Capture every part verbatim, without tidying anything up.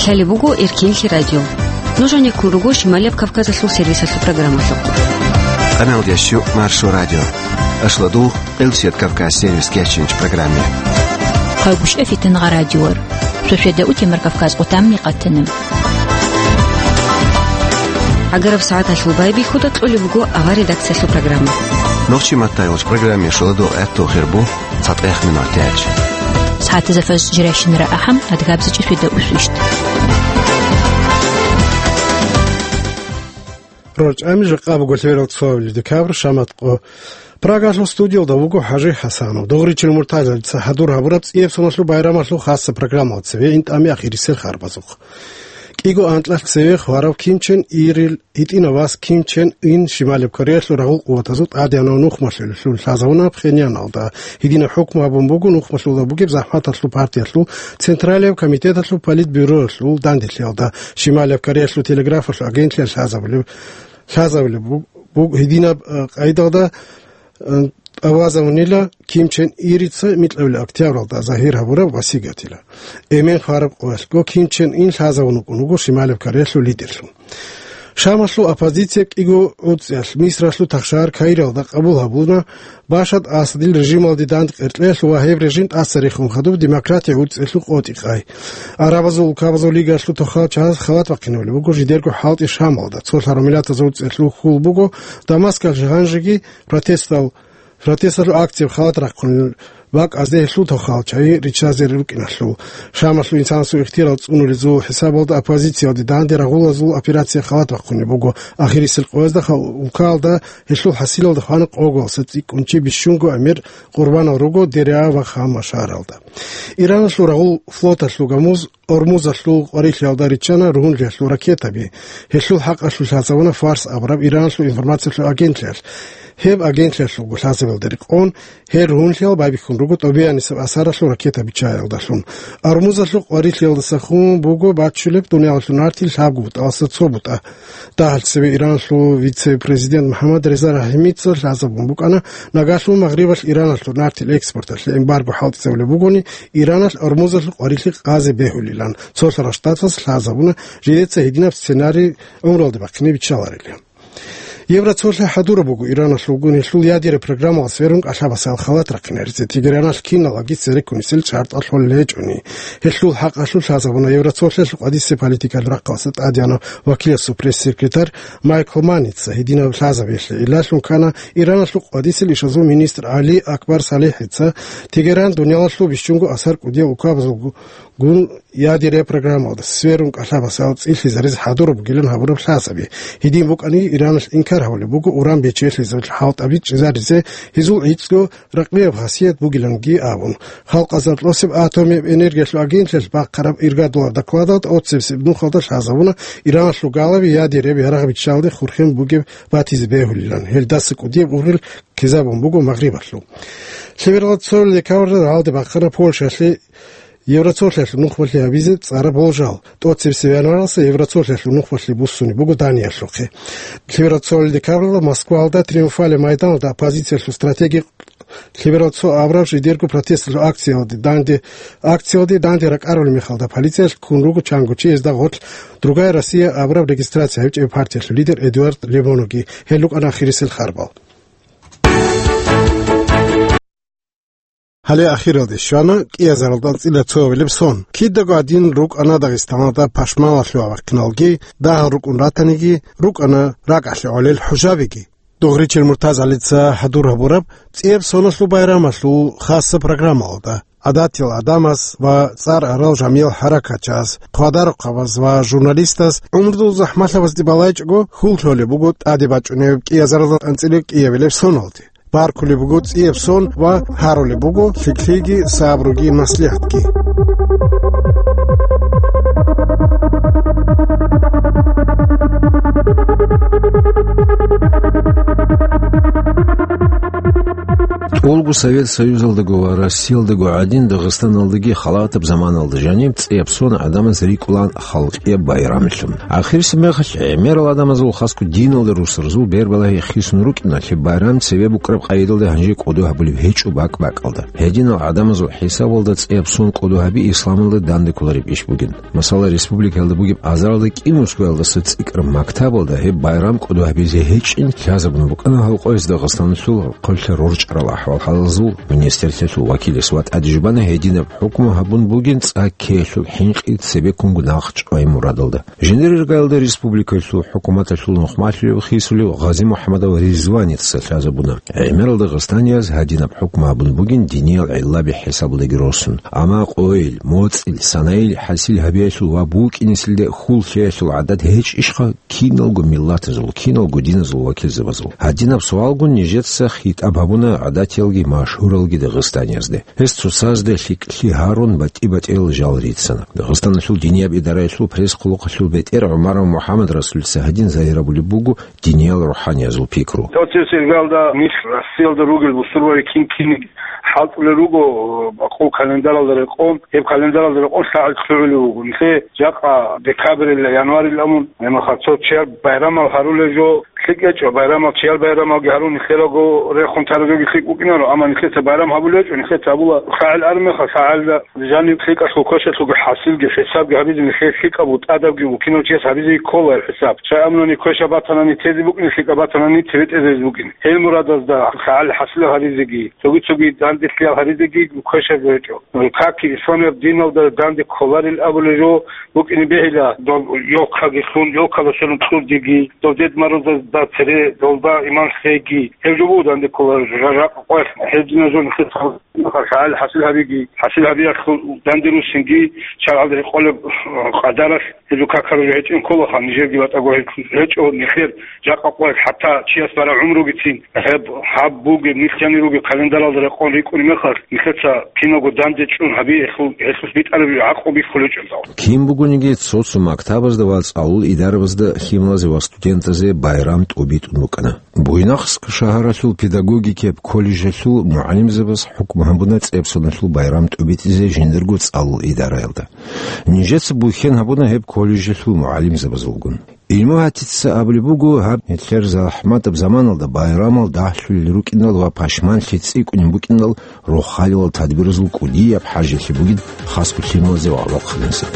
Талеб буго Эркинлъи радио. Нуж гьанеккун руго Шималияб Кавказалъул сервисалъул программалъухъ. Къаналдящу Маршо радио. Ашладугъ Къилсият Кавказ сервис кечинч программе. Хъалгушев Фитнагъа радиор. Шошеда утемар Кавказ къутамни къатана. Агараб сагӀаталъул байбихьуда кьолеб буго авар редакциялъул программа. Нохчи маттайолч программе шоладугъ гӀаттул хирбу. ЦатӀех минутач. СагӀатазда фаз жирайщинара ахӀам, адгабзичӀи свида усвищ. РорчӀами жакъа буго лъерал цоабилеб декабрь, шамат къо. Прагалъул студиялда вуго ХӀажи ХӀасанов. Дугъричил муртазалица хӀадур гьабураб цӀияб соналъул байрамалъул хасса программалда цеве ин тӀами ахирисел харбазухъ. КӀиго анкьалъ цеве хварав Ким Чен Ирил гьитӀинав вас Ким Чен Ин Шималияб Кореялъул рагъул къуватазул тӀадегӀанав нухмалъулеллъун лъазавуна Пхеньяналда. Гьединаб хӀукму гьабун буго нухмалъулда бугеб ЗахӀматалъул партиялъул Централияб комитеталъул политбюроялъул данделъиялда, Шималияб Кореялъул телеграфалъул агентлъиялъ лъазабулеб, лъазабулеб буг-, буг-, гьединаб, э, къайдалда, э, тӀавазавунила Ким Чен Ирица микьабилеб октябралда загьир гьабураб васигатила. Эмен хвараб къоялъго Ким Чен Ин лъазавун вукӀун вуго Шималияб Кореялъул лидерлъун. Шамалъул оппозиция кӀиго гӀуцӀиялъ Мисралъул тахшагьар Каиралда къабул гьабуна Башар Асадил режималде дандекъеркьеялъул ва гьеб режим тӀаса рехун хадуб демократия гӀуцӀиялъул къотӀи-къай. Арабазул улкабазул лигалъул тохал чагӀаз халат бахъинабулеб буго жидерго хӀалтӀи Шамалда. Цолъарав миллатазул гӀуцӀиялъул хьул буго Дамаскалъ гьанжеги протестал Протесталъул акцияб халат рахъун бакӀазде гьелъул тохал чагӀи риччазе рукӀиналъул. Шамалъул инсанасул ихтияр цӀунулезул хӀисабалда оппозициялде данде рагъулазул операция халат бахъунеб буго. Ахирисел къоязда ха-, улкаялда гьелъул хӀасилалда хвана къоголаса цӀикӀкӀунчи бищунго гӀемер къурбанал руго Дереа ва Хама шагьаралда. Ираналъул рагъул флоталъул гамуз Ормузалъул къварилъиялда риччана ругьунлъиялъул ракетаби. Гьелъул хӀакъалъулъ лъазавуна Фарс абураб Иранлъул информациялъул агентлъиялъ. Гьеб агентлъиялъулго лъазабиялда рекъон, гьел ругьунлъиял байбихьун руго тӀобеянисеб асаралъул ракета биччаялдалъун. Ормузалъул къварилъиялдаса хун буго баччулеб дуниялалъул нартил лъабго бутӀаласа цо бутӀа. Дагьалъ цебе Иранлъул вице-президент МухӀаммад Реза Рахимица лъазабун букӀана, нагагьлъун Магърибалъ Иранлъул нартил экспорталъе эмбарго хӀалтӀизабулеб бугони, Иранал Ормузалъул къварилъи къазе бегьулилан, Цолъарал Штатас лъазабуна, жидеца гьединаб сценарий гӀумруялде бахъине биччаларилан. Евроцолъи хӀадураб буго Иранлъулгун гьелъул ядераб программалас верун кӀалъабасал халат рахъинаризе. Тегераналъ киналаги цереккунисел чартӀалъул лечӀуни. Гьелъул хӀакъалъулъ лъазабуна Евроцолъиялъул къвадисеб политикалъул рахъалъа тӀадегӀанав вакиласул пресс-секретарь Майкл Маница гьединаб лъазабиялъе. Илалъун ккана Иранлъул къвадисел ишазул министр ГӀали Акбар Салихица Тегеран дуниялалъул бищунго асар кӀудияв улкабазул гун ядерия программалда сверун кӀалъабасал цӀилъизаризе хӀадураб бугилан гьабураб лъазаби. Гьедин букӀани, Иранлъ инкар гьабулеб буго уран бечелъизаб хӀалтӀаби чӀезаризе, гьезул гӀицӀго ракълияб хасият бугиланги абун. Халкъазда кьосеб атомияб энергиялъул агентлъиялъ бахъараб иргадулаб докладалда тӀоцебесеб нухалда лъазабуна Иранлъул галаби ядерияби ярагъ биччалде хурхен бугеб батизе бегьулилан. Гьелдаса кӀудияб ургъел ккезабун буго Магърибалъул. Лъебералда цо декабрьда гьалде бахъана Польшалъе Евроцолъиялъул нухмалъи гьабизе цӀараб болжал. ТӀоцебесеб январалдаса Евроцолъиялъул нухмалъи буссунеб буго Даниялъухъе. Лъебералда цо декабрьда Москвалда Триумфальный майданалда оппозициялъул стратеги лъебералда цо абураб жидерго протесталъул акциялде данде, акциялде данде ракӀарулеб мехалда полициялъ ккун руго чанго чи, гьезда гъорлъ «Другая Россия» абураб регистрация гьабичӀеб партиялъул лидер Эдуард Лебоноги. Гьел рукӀана ахирисел харбал. Гьале ахиралде щвана кӀиазаралда анцӀила цоабилеб сон. Кидаго гьадин рукӀана Дагъистаналда пашманлъугьа-вахъиналги, дагьал рукӀун ратаниги, рукӀана ракӀалъе гӀолел хӀужабиги. Дугъричил МуртазгӀалица хӀадур гьабураб цӀияб соналъул байрамалъул хасса программалда гӀадатиял гӀадамаз ва цӀар арал жамиял хӀаракатчияз, хъвадарухъабаз ва журналистаз гӀумрудул захӀмалъабазде балайчӀого хьул лъолеб буго тӀаде бачӀунеб кӀиазаралда анцӀила кӀиабилеб соналде. Баркулеб буго цӀияб сон ва гьарулеб буго лъикӀлъиги сабруги маслигӀатги. Олго Совет Союзалдаго ва Россиялдаго гӀадин, Дагъистаналдаги халатаб заманалда жаниб цӀияб сон гӀадамаз рикӀкӀунаан халкъияб байрамлъун. Ахирисеб мехалъ гӀемерал гӀадамазул, хасго диналда русарзул бербалагьи хисун рукӀиналъе, байрам цебе букӀараб къайдалда гьанже кӀодо гьабулеб гьечӀо бакӀ-бакӀалда. Гьединал гӀадамазул хӀисабалда цӀияб сон кӀодо гьаби исламалда данде кколареб иш бугин. Масала, республикаялда бугеб азаралда кӀиго мускоялдаса цӀикӀкӀараб мактабалда гьеб байрам кӀодо гьабизе гьечӀин лъазабун букӀана гьал къоялъ Дагъистаналъул хъулъа рорчӀарал ахӀвал-хӀалалзул министрлъиялъул вакилас ва тӀаде жубана гьединаб хӀукму гьабун бугин цӀа ккеялъул хӀинкъи цебеккунго нахъчӀвай мурадалда. Жиндир иргаялда республикаялъул хӀукуматалъул нухмалъулев хисулев Гъази-МухӀамадов Ризваница лъазабуна, гӀемерал дагъистанияз гьадинаб хӀукму гьабун бугин диниял гӀиллаби хӀисабалдаги росун. Амма къойил, моцӀил, санайил хӀасил гьабиялъул ва букӀинесилде хьул лъеялъул гӀадат гьечӀищха киналго миллатазул, киналго диназул вакилзабазул? Гьадинаб суалгун нижеца хитӀаб гьабуна гӀадатиялги машгьуралги дагъистаниязде. Гьес цоцазда лъикӀлъи гьарун, батӀи-батӀиял жал рицана. Дагъистаналъул динияб идараялъул пресс-хъулухъалъул бетӀер ГӀумаров МухӀаммад Расулица гьадин загьир гьабулеб буго диниял рухӀаниязул пикру. Цо-цо иргалда нилъ Россиялда ругел бусурбаби кин-кинниги хӀалтӀулел руго, бакъул календаралда рекъон, гьеб календаралда рекъон лъагӀел лъугӀулев вуго. Нилъе жакъа декабрилла, январилла абун, гьебмехалъ цо чияр байрамал гьарулел жо, лъикӀ гьечӀо, байрамал, чияр байрамалги гьарун нилъералго рехун тарабги лъикӀ букӀинаро, амма нилъеца байрам гьабулел гьечӀо, нилъеца гьабула лъагӀел армеха, лъагӀелда жаниб лъикӀалъул квешалъулги хӀасилги хӀисабги гьабизе нилъее лъикӀаб бутӀадабги букӀинав чияс гьабизе ккола гьеб хӀисаб. Щай абунани квешаб батанани тезе букӀине, лъикӀаб батанани цебетӀезе букӀине. Гьел мурадазда лъагӀел хӀасил гьаризеги, цоги-цоги данделъиял гьаризеги квешаб гьечӀо. Каки исламияб диналда данде кколарел абулел жо букӀине бегьила, доб ёлкаги лъун, ёлкала сверун кьурдеги, доб Дед Морозда цере долда иман лъеги, гьеб жо буго данде кколарел жо, жа-, жакъа къоялъ гьеб дина жо нилъеца гьал хӀасил гьабиги, хӀасил гьабиялъул данде руссинги, шаргӀалда рекъолеб къадаралъ гьеб жо какараб жо гьечӀин кколаха, нижерги батӀаго гьечӀ-, гьечӀо нилъер жакъа къоялъ, хӀатта чияс бараб гӀумругицин гьеб гьаб бугеб, нилъ жанир ругеб календаралда рекъон рикӀкӀунеб мехалъ, нилъеца киналго данде чӀун гьаби, гьелъул, гьелъулъ битӀараб гӀакъуби кколечӀондал. Кин бугониги, цо-цо мактабазда ва цӀалул идарабазда лъималазе ва студентазе байрам тӀубитӀун букӀана. Буйнакск шагьаралъул педагогикияб колледжалъул мугӀалимзабаз хӀукму гьабуна цӀебсоналъул байрам тӀубитӀизе жиндирго цӀалул идараялда. Нижеца бухьен гьабуна гьеб колледжалъул мугӀалимзабазулгун. Илмугьатица абулеб буго, гьаб нилъер захӀматаб заманалда байрамал дагьлъулел рукӀиндал ва пашманлъи цӀикӀкӀунеб букӀиндал рохалилал тадбиразул кӀудияб хӀажалъи бугин хасго лъималазе ва гӀолохъанизе.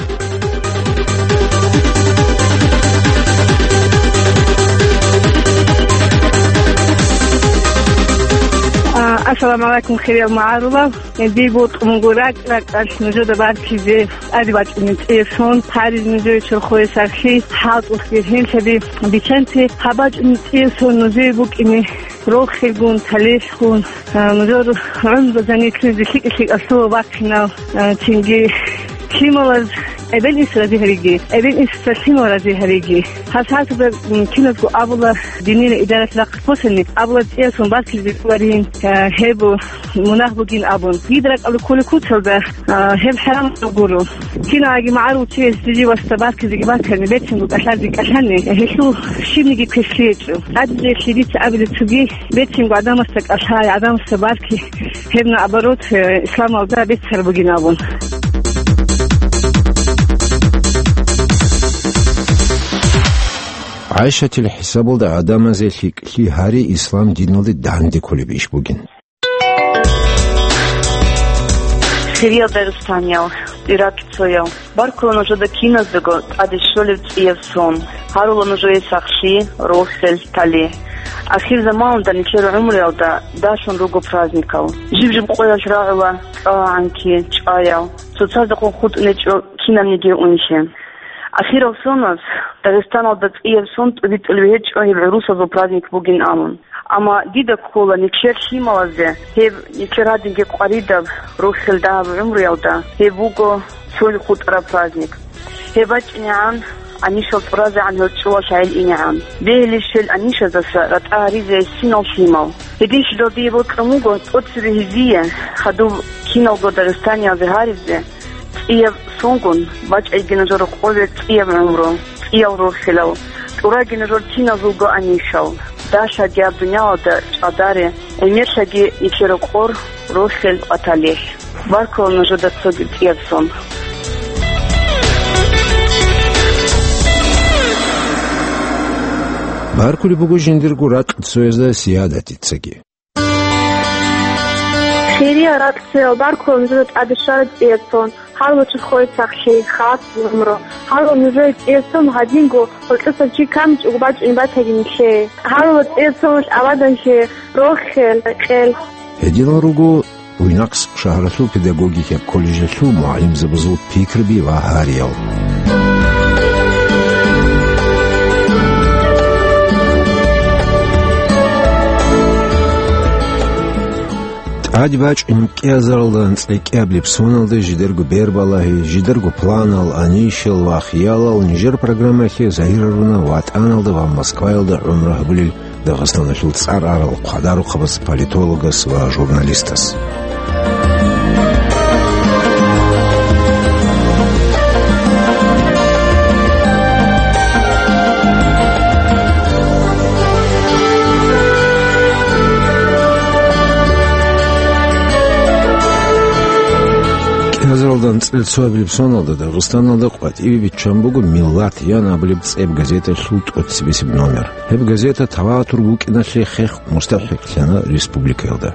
А, ассаламу гӀалайкум, хириял магӀарулал. Дие бокьун буго ракӀ-ракӀалъ нужеда баркизе, тӀаде бачӀунеб цӀияб сон, гьаризе нужее чорхое сахлъи, хӀалтӀухъе гьелъаби биччанте. Гьаб бачӀунеб цӀияб сон нужее букӀине рохелгун, талихӀгун, а, нужер гӀумру жанирлъизе лъикӀ-лъикӀалъула бахъинал, а, цинги лъималаз эбел-инсу рази гьариги, эбел-инсуца лъимал рази гьариги. Гьаб сагӀаталда, м, киназго абула, диниял идаралъ рахъ босани, абула цӀияб сон баркизе кколарин, а, гьеб мунагь бугин абун. Дида ракӀалда кколеб куцалда, а, гьеб хӀарамаб гуро. Кинаги магӀарул чияс жиндир васда баркизеги бакани, берцинго кӀалъазе кӀалъани, гьелъул щибниги квешлъи гьечӀо. ТӀаде жеги дица абила цоги, берцинго гӀадамасда кӀалъай, гӀадамасда барки, гьеб наоборот, э, исламалда беццараб бугин абун. ГӀайшатил хӀисабалда гӀадамазе лъикӀлъи гьари ислам диналде данде кколеб иш бугин. Хириял дагъистаниял, иракьцоял, баркула нужеда киназдаго тӀаде щолеб цӀияб сон. Гьарула нужее сахлъи, рохел, талихӀ. Ахирзаманалда нилъер гӀумруялда далъун руго праздникал. Жиб-жиб къоялъ рагӀула цӀа-гӀанки, чӀаял, цоцаздехун хутӀнечӀо кинабниги унлъи. Ахирал соназ Дагъистаналда цӀияб сон тӀубитӀулеб гьечӀо гьеб гӀурусазул праздник бугин абун. Амма дида ккола нилъер лъималазе гьеб нилъер гьадинги къваридаб рохел дагьаб гӀумруялда гьеб буго цо хутӀараб праздник. Гьеб бачӀинегӀан, гӀанишал тӀуразегӀан гьел чӀулалъ гӀел инегӀан. Бегьилищ гьел гӀанишаздаса ратӀа гьаризе гьесинал лъимал. Гьединлъидал дие бокьун буго тӀоцебе гьезие, хадуб киналго дагъистаниялзе гьаризе, цӀияб сонгун бачӀайги нужер къоле цӀияб гӀумру, цӀиял рохелал, тӀураги нужер киназулго гӀанишал. Дашагияб дуниялалда чӀадаре, гӀемерлъаги ике рокъор, рохел, къваталихь. Баркула нужеда цоги кӀияб сон. Баркулеб буго жиндирго ракь цоязда Сиядатицаги. Хириял ракьцоял, баркула нужеда тӀаде щвараб цӀияб сон. Гьалва чурхое сахлъи, хас гӀумру. Гьалва нужее цӀияб сон гьадинго гьоркьосаб чи камичӀого бачӀунеб батаги нилъее. Гьалва цӀияб соналъ абаданлъи, рохел, къел. Гьединал руго Буйнакск шагьаралъул педагогикияб колледжалъул мугӀалимзабазул пикруби ва гьариял. ТӀаде бачӀунеб кӀиазаралда анцӀила кӀиабилеб соналда жидерго бербалагьи, жидерго планал, анищал ва хиялал нижер программаялъе загьирлъуна ВатӀаналда ва Москваялда гӀумру гьабулел Дагъистаналъул цӀар арал хъвадарухъабаз, политологас ва журналистас. КӀиазаралда анцӀила цоабилеб соналда Дагъистаналда къватӀибе биччан буго «Миллат» ян абулеб цӀеб газеталъул тӀоцебесеб номер. Гьеб газета таватур букӀиналъе хех мустахӀикълъана республикаялда.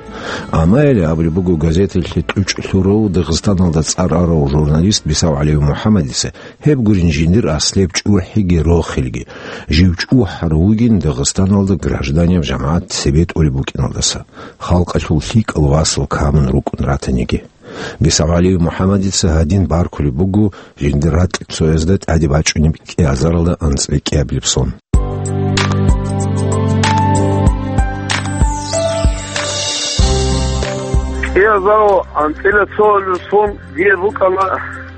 Амма гьеле абулеб буго газеталъе тӀучӀ лъурав Дагъистаналда цӀар арав журналист БисагӀалиев МухӀаммадица гьеб гурин жиндир аслияб чӀухӀиги рохелги, жив чӀухӀарав вугин Дагъистаналда гражданияб жамагӀат цебетӀулеб букӀиналдаса, халкъалъул лъикӀал васал камун рукӀун ратаниги. БисагӀалиев МухӀаммадица гьадин баркулеб буго жиндир ракь цоязда тӀаде бачӀунеб кӀиазаралда анцӀила кӀиабилеб сон. КӀиазарал анцӀила цоабилеб сон дие букӀана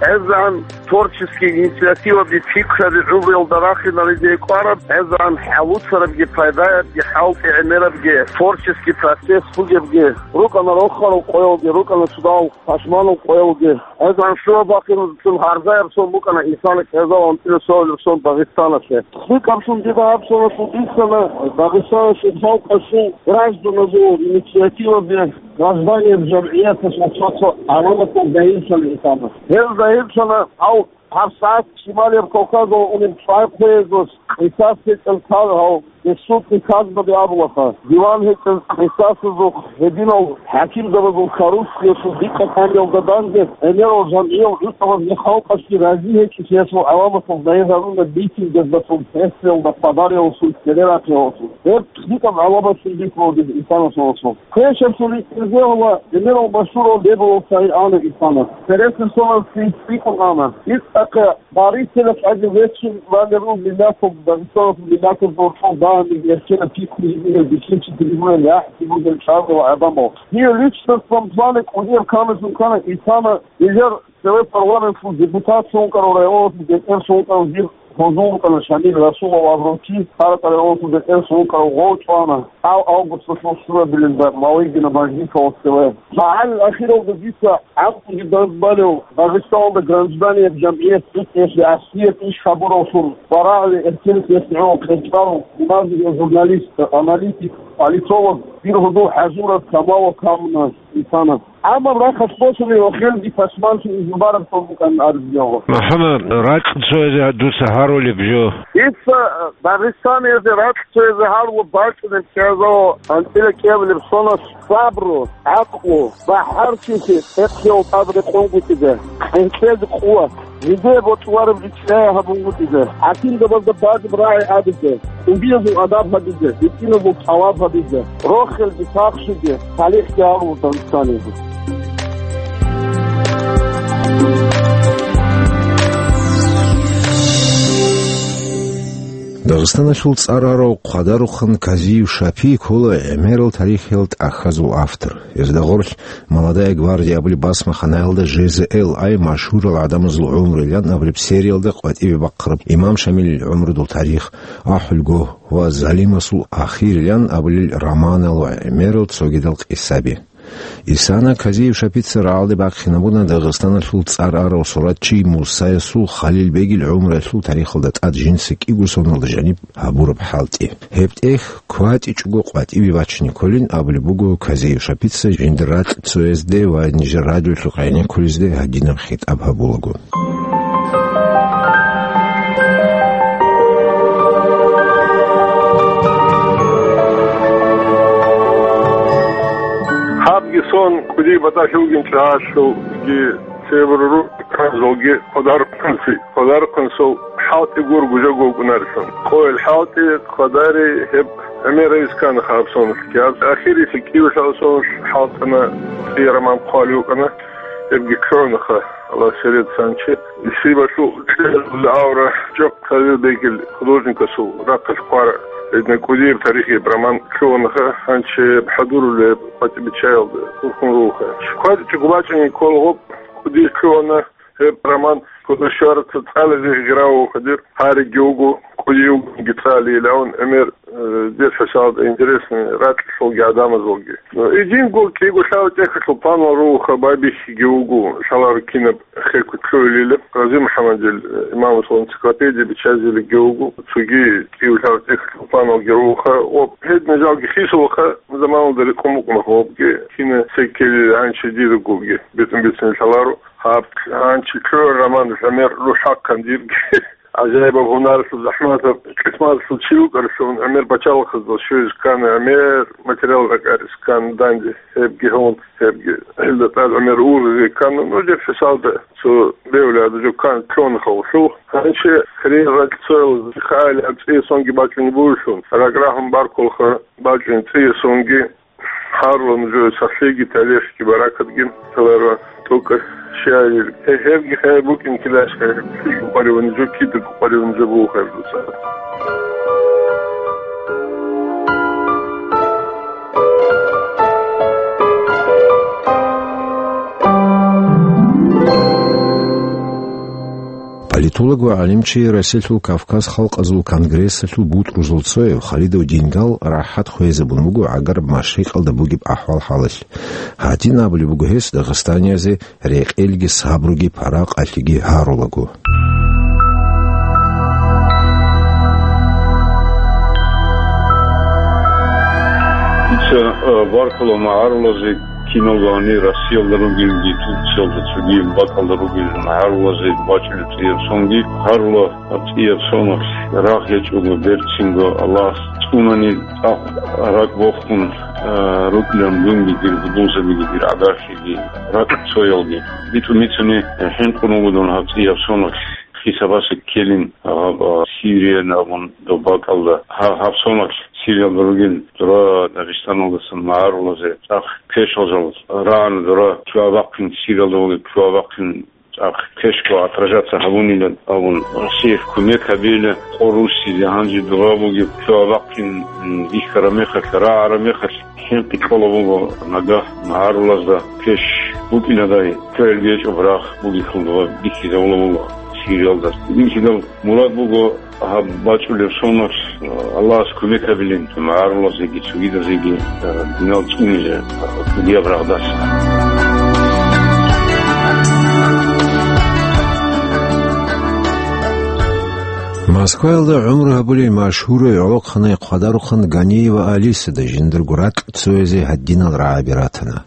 гӀезегӀан творческий инициативаби, пикраби гӀумруялда рахинаризе кӀвараб, гӀезегӀан хӀалуцарабги пайдаябги, хӀалтӀи гӀемерабги, творческий процесс бугебги, рукӀана рохарал къоялги, рукӀана цӀудал пашманал къоялги. ГӀезегӀан щуаб бахъиназецин гьарзаяб сон букӀана инсанас кӀиазарал анцӀила цоабилеб сон Дагъистаналъе. ЛъикӀаблъун дида гьаб соналъул бицана Дагъистаналъул халкъалъул гражданазул инициативаби, гражданияб жамгӀияталъул цо-цо гӀаламатал дайинлъана инсанас. Гьел дайинлъана гьав ГьабсагӀат Шималияб Кавказалда унеб цӀвай хъвеязулъ къисас гьечӀел кал гьав, гьесул приказбаби абулаха, диван гьечӀел къисасазухъ гьединал хӀакимзабазул коррупциялъул дикъа камиялда данде гӀемерал жамгӀиял гӀуцӀабазги халкъалъги рази гьечӀолъиялъул гӀаламатал дайин гьаруна митингазда, прессаялда, хабариялдасун, телерадиоялдасун. Гьеб лъикӀаб гӀаламаталъун бихьулеб инсанасул расул. Квешаб цо рикӀкӀине гьула гӀемерал машгьурав Лебовал Саид ана инсанас. Цересел соналъ цӀикӀкӀун ана. ИцӀахъе барисела чӀаги веццун валерул миллатал, Дагъистаналъул миллатал борцӀал дагьаниг эркенаб пикру гьабурал бихьинчи, трибунаялъ яхӀ бугел чӀарал гӀадамал. Гьев личностном плане кӀудияб камилъун ккана инсана. Гьезул цеве парламенталъул депутатцун вукӀарав, районалъул бетӀерцун вукӀарав жив гьозул вукӀана Шамил Расулов абурав чи, Къаракъа районалъул бетӀерцун вукӀарав гъов чӀвана. Гьав августалъул щурабилелда Малыгина мажгиталда цеве. МагӀалил ахиралда дица гӀакълуги данде балев, Дагъистаналда гражданияб жамгӀият цӀикӀкӀиялъе аслияб иш гьабуравлъун ва рагӀаби эркенлъиялъе гӀоло кьечӀарав имамзабаз, журналист, аналитик, политолог, дир гьудул хӀажурат камалал камуна инсанас. Амма рахъалъ босани ва хелги пашманлъи изну бараб цо букӀан абизе гьабула. МухӀаммад, ракь цоязе дуца гьарулеб жо. Дица Дагъистаниялде ракь цоязе гьарулеб бачӀунеб кӀиазарал анцӀила кӀиабилеб сонас сабру, гӀакълу, бахӀарчилъи, цӀехъиял тӀад рекъонгутӀизе, хӀинкъизе къуват, жидее бокьулареб риччае гьабунгутӀизе, хӀакимзабазда бадиб рагӀи абизе, кӀудиязул адаб гьабизе, гьитӀиназул тӀалаб гьабизе, рохелги, сахлъиги, талихӀги гьарулеб Дагъистаниялде. Дагъистаналъул цӀар арав хъвадарухъан Казиев Шапи ккола гӀемерал тарихиял тӀахьазул автор. Гьезда гъорлъ «Молодая гвардия» абулеб басмаханаялда «Ж З Л I» машгьурал гӀадамазул гӀумру илан абулеб сериялда къватӀибе бахъараб «Имам Шамилил гӀумрудул тарих», «АхӀулгогь» ва «Залимасул ахир» илан абулел романал ва гӀемерал цогидал къисаби. Исана Казиев-Шапица рагӀалде бахъинабуна Дагъистаналъул цӀар арал суратчи Мусаясул Халил-бегил гӀумруялъул тарихалда тӀад жинца кӀиго соналда жаниб гьабураб хӀалтӀи. Гьеб тӀехь кватӀичӀого къватӀибе бачине кколин абулеб буго Казиев-Шапица жиндир ракьцоязде ва нижер радиолъухъ гӀенеккулезде гьадинаб хитӀаб гьабулаго. Гьабги сон кӀудияб батӀалъи бугин чӀахӀалъулги цебе рукӀарзулги хъвадарухъанси, хъвадарухъанцул хӀалтӀи гургу жо гукӀунарелъул. Къойил хӀалтӀи хъвадари гьеб гӀемерайиз ккана хаб соналъги. Гьаб ахирисеб кӀиго соналъ хӀалтӀана, цӀияб роман хъвалев вукӀана. Гьебги кканаха, Аллагь серец гьанчи. Исибалъул кьел авра чӀахъ Халил-бегил художникасул рахъалъ хъвара, гьедин кӀудияб тарихияб роман кканаха, гьанчи хӀадурулеб къватӀибиччаялда хурхун руха. КватӀичӀого бачӀине ккола гьеб кӀуди ккана, гьеб роман кутӀа щвараца цӀализе гьигьравухъадир гьариги вуго, кӀудиявги цӀалейилан гӀемер, э, дир хӀисабалда интересный ракьалъулги гӀадамазулги. Идинго кӀиго-лъабго тӀехьалъул планал руха, байбихьиги вуго, лъаларо кинаб хеккун лъугьунилан, Гъази МухӀаммадил, э, имамасул энциклопедия биччазилиги вуго, цоги кӀиго-лъабго тӀехьалъул планалги руха, ва гьедин жалги хисулаха заманалда рекъон букӀунаха гьебги, кина секкелил гьанчи диргоги бетӀун-бицунел лъаларо. Гьаб гьанчи ккола роман гӀемер рухӀахъан дирги. ГӀажаибаб гьунаралъул, захӀматаб къисматалъул чи вукӀаралъун гӀемер пачалихъазда щвезе ккана, гӀемер материал ракӀаризе ккана данде, гьебги гьун, гьебги гьелда тӀад гӀемер ургъизе ккана. Ну, дир хӀисабалда цо бевлада жо ккана кконаха гьелъул. Гьанчи хириял ракьцоял хъали гьаб цӀияб сонги бачӀунеб бугелъул, ракӀ рагьун баркулаха бачӀунеб цӀияб сонги. Гьарула нужее сахлъиги, талихӀги, баракатги, лъаларо тӀокӀаб шагьир. Гьебги хай букӀин килащха, гьебги къваригӀун жо, кидаго къваригӀун жо буго хай дуца. Политолог ва гӀалимчи, Россиялъул Кавказ халкъазул конгрессалъул бутӀрузул цояв Халидов Дингал рахӀат хвезабун буго гӀагараб машрикъалда бугеб ахӀвал-хӀалалъ. Гьадин абулеб буго гьес дагъистаниязе рекъелги сабруги паракъалъиги гьарулаго. Дица, э, баркула магӀарулазе, киналго гьанир Россиялда ругелги, Турциялда, цоги бакӀалда ругел магӀарулазе бачӀунеб цӀияб сонги. Гьарула цӀияб соналъ рагъ гьечӀого, берцинго Аллагьас цӀунани, цӀакъ ракӀ бохун, а, рукӀинан дунги дир гьудулзабиги, дир гӀагарлъиги, ракьцоялги. БитӀун бицуни хӀинкъун вуго дун гьаб цӀияб соналъ хисабасе ккелин, гьаб, а, Сириялда абун доб бакӀалда. Гьаб, гьаб соналъ Сириялда ругел дора Дагъистаналдасан магӀарулазе цӀакъ пешал жал рагӀана, дора чуабахъин, Сириялда вугеб чуабахъин цӀакъ пешго отражаться гьабунилан абун, Россиялъ кумек гьабейилан къо руссизе, гьанже дора бугеб чуабахъин, м, бихьараб мехалъ, рагӀараб мехалъ хӀинкъи кьола буго нагагь магӀарулазда пеш букӀинадай, кверги гьечӀеб рагъ бугелъул дора бихьизабула буго Сириялда. Бихьидал мурад буго гьаб бачӀунеб соналъ Аллагьас кумек гьабилин, магӀарулазеги цогидазеги, э, динал цӀунизе, э, кӀудияб рагъдаса. Москваялда гӀумру гьабулел машгьурав гӀолохъанай хъвадарухъан Ганиева Алисада жиндарго ракьцоязе гьадинал рагӀаби ратана.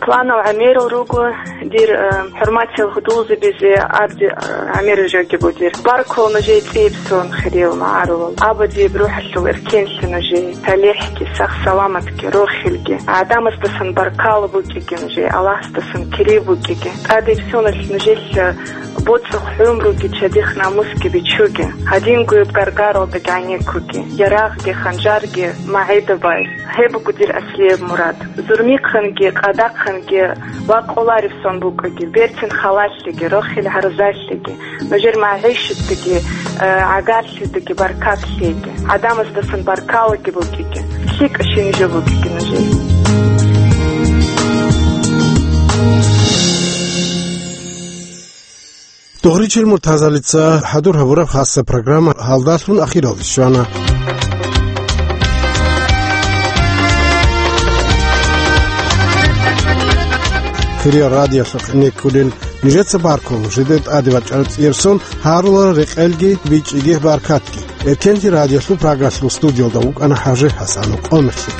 Планал гӀемерал руго, дир, э, хӀурматиял гьудулзабизе абди, э, гӀемерал жеги буго дир. Баркула нужее цӀияб сон, хириял магӀарулал. Абадияб рухӀалъул эркенлъи нужее, талихӀги, сах-саламатги, рохелги. ГӀадамаздасан баркала букӀиги нужее, Аллагьасдасан кири букӀиги. ТӀадеб соналъ нужелъ боцӀухъ гӀумруги чадихъ намусги бичуге, гьадингояб гаргаралда гӀенеккуге, ярагъги ханжарги магӀида бай. Гьеб буго дир аслияб мурад. Зурмихъанги къадахъанги ва къолареб сон букӀуге, берцин халалъиги, рохел гьарзалъиги, нужер магӀишатдаги, э, гӀагарлъидаги баркат лъеги, гӀадамаздасан баркалаги букӀиги, лъикӀа щинаб жо букӀиги нужее. Дугъричил муртазалица хӀадур гьабураб хасса программа гьалдалъун ахиралде щвана. Хириял радиоялъухъ неккулел нижеца баркун, жидер тӀаде бачӀараб цӀияб сон гьарула рекъелги бичӀчӀиги баркатги. Эркенлъи радиолъул программалъул студиялда вукӀана ХӀажи ХӀасанов. Къо-, мехлъи.